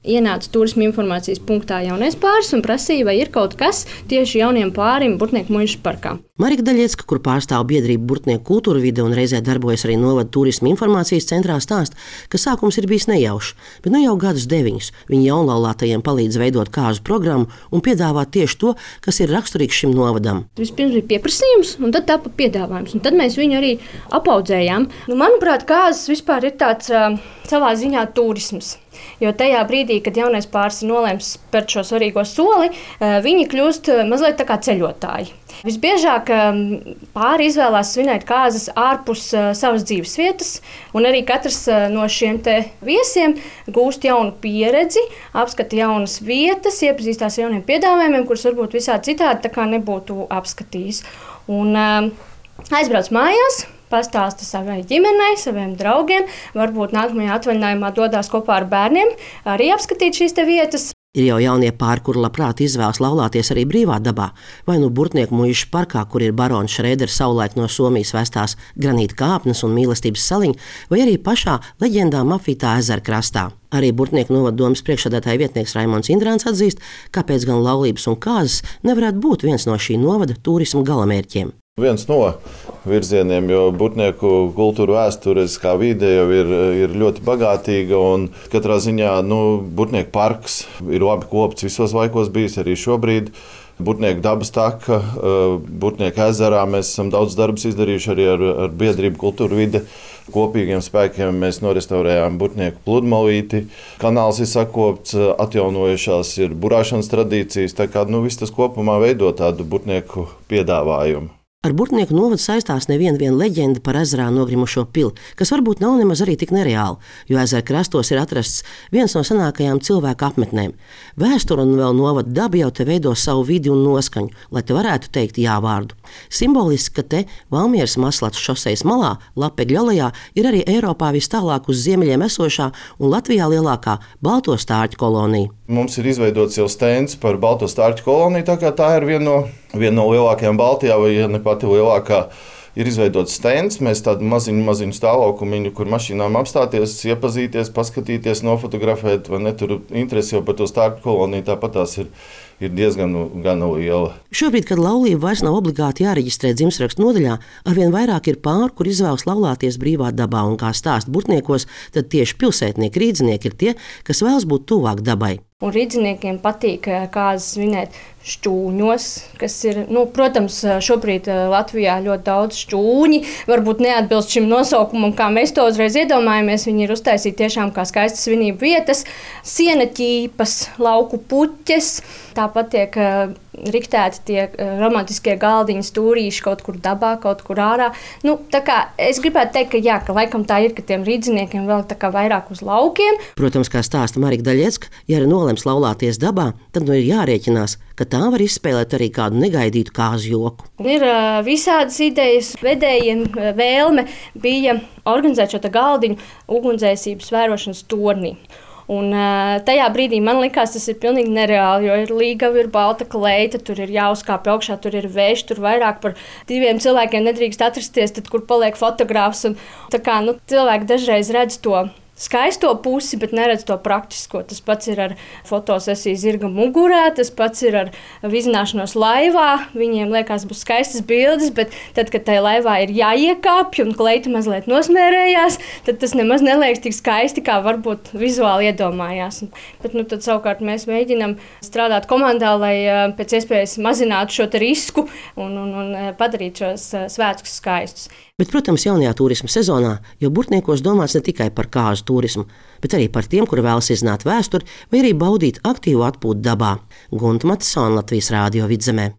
ienāca turisma informācijas punktā Jaunais Pāris un prasīja, vai ir kaut kas tieši jauniem pārim Burtnieku muižas parkā. Marika Daļiecka, kur pārstāv biedrību Burtnieku kultūra vide un reizē darbojas arī novada turisma informācijas centrā, stāsta, ka sākums ir bijis nejaušs, bet nu jau gadus 9 viņi jaunlaulātajiem palīdz veidot kāzu programmu un piedāvāt tieši to, kas ir raksturīgs šim novadam. Vispirms bija pieprasījums, un tad tapa piedāvājums, un tad mēs viņu arī apaudzējām. Manuprāt, kāzas vispār ir tāds savā ziņā turisms. Jo tajā brīdī, kad jaunais pāris ir nolēmis spērt šo svarīgo soli, viņi kļūst mazliet tā kā ceļotāji. Visbiežāk pāri izvēlās svinēt kāzas ārpus savas dzīves vietas, un arī katrs no šiem viesiem gūst jaunu pieredzi, apskata jaunas vietas, iepazīstās ar jauniem piedāvājumiem, kurus varbūt visādi citādi tā kā nebūtu apskatījis. Un aizbrauc mājās, pastāsta savai ģimenei, saviem draugiem, varbūt nākamajā atvaļinājumā dodās kopā ar bērniem, arī apskatīt šīs vietas. Ir jau jaunie pāri, kuri labprāt izvēlas laulāties arī brīvā dabā, vai nu Burtnieku muižas parkā, kur ir barons Šrēdera savulaik no Somijas vestās granīta kāpnes un mīlestības saliņa, vai arī pašā leģendām apvītā ezera krastā. Arī Burtnieku novada domas priekšsēdētāja vietnieks Raimonds Indrāns atzīst, kāpēc gan laulības un kāzas nevarētu būt viens no šī novada turisma galamērķiem. Viens no virzieniem, jo Burtnieku kultūra vēstures kā vide jau ir ļoti bagātīga, un katrā ziņā Burtnieku parks ir labi kopts visos laikos bijis arī šobrīd. Burtnieku dabas taka, Burtnieku ezerā mēs esam daudz darbus izdarījuši arī ar biedrību kultūra vide. Kopīgiem spēkiem mēs norestaurējām Burtnieku pludmalīti, kanāls ir sakopts, atjaunojušās ir burāšanas tradīcijas, tā kā viss tas kopumā veido tādu Burtnieku piedāvājumu. Ar Burtnieku novadu saistās neviena leģenda par ezerā nogrimušo pili, kas varbūt nav nemaz arī tik nereāli, jo ezera krastos ir atrasts viens no senākajām cilvēku apmetnēm. Vēsture un vēl novada daba jau te veido savu vidi un noskaņu, lai te varētu teikt jā vārdu. Simboliski, ka te Valmieras Maslats šosejas malā, Lapegļu alejā, ir arī Eiropā vis tālāk uz ziemeļiem esošā un Latvijā lielākā balto stārķu kolonija. Mums ir izveidots jau stends par balto stārķu koloniju, tā kā tā ir viena no lielākajām Baltijā, vai ja ne pati lielākā, ir izveidots stends. Mēs tādu maziņu stāvlaukumiņu, kur mašīnām apstāties, iepazīties, paskatīties, nofotografēt, vai ne, tur interesi jau par to stārķu koloniju, tāpat tās ir diezgan liela. Šobrīd, kad laulība vairs nav obligāti jāreģistrē dzimstrakstu nodaļā, arvien vairāk ir pāri, kur izvēlas laulāties brīvā dabā, un kā stāsta Burtniekos, tad tieši pilsētnieki, rīdzinieki ir tie, kas vēlas būt tuvāk dabai. Un rīdziniekiem patīk kāzas svinēt šķūņos, kas ir, protams, šobrīd Latvijā ļoti daudz šķūņi, varbūt neatbilst šim nosaukumam, kā mēs to uzreiz iedomājamies. Viņi ir uztaisīti tiešām kā skaistas svinību vietas, siena ķīpas, lauku puķes, tāpat tiek riktēti tie romantiskie galdiņi, stūrīši kaut kur dabā, kaut kur ārā. Tā kā es gribētu teikt, ka jā, ka laikam tā ir, ka tiem rīdziniekiem vēl tā kā vairāk uz laukiem. Protams, kā stāsta Marika Daļiecka, ja arī nolems laulāties dabā, tad ir jārēķinās, ka tā var izspēlēt arī kādu negaidītu kāzu joku. Ir visādas idejas, vedējiem vēlme bija organizēt šo galdiņu ugunsdzēsības vērošanas tornī. Un tajā brīdī man likās, tas ir pilnīgi nereāli, jo ir līgava, ir balta kleita, tur ir jāuzkāpj augšā, tur ir vējš, tur vairāk par 2 cilvēkiem nedrīkst atrasties, tad kur paliek fotogrāfs. Tā kā cilvēki dažreiz redz to skaisto pusi, bet neredz to praktisko. Tas pats ir ar fotosesiju zirga mugurā, tas pats ir ar vizināšanos laivā. Viņiem liekas, būs skaistas bildes, bet tad, kad tai laivā ir jāiekāpj un kleita mazliet nosmērējās, tad tas nemaz neliekas tik skaisti, kā varbūt vizuāli iedomājās. Bet tad savukārt mēs mēģinam strādāt komandā, lai pēc iespējas mazinātu šo risku un padarīt šos svētkus skaistus. Bet, protams, jaunajā turisma sezonā jau Burtniekos domāts ne tikai par kāzu turismu, bet arī par tiem, kuri vēlas izzināt vēsturi vai arī baudīt aktīvu atpūtu dabā. Gunta Matisone, Latvijas Rādio Vidzemē.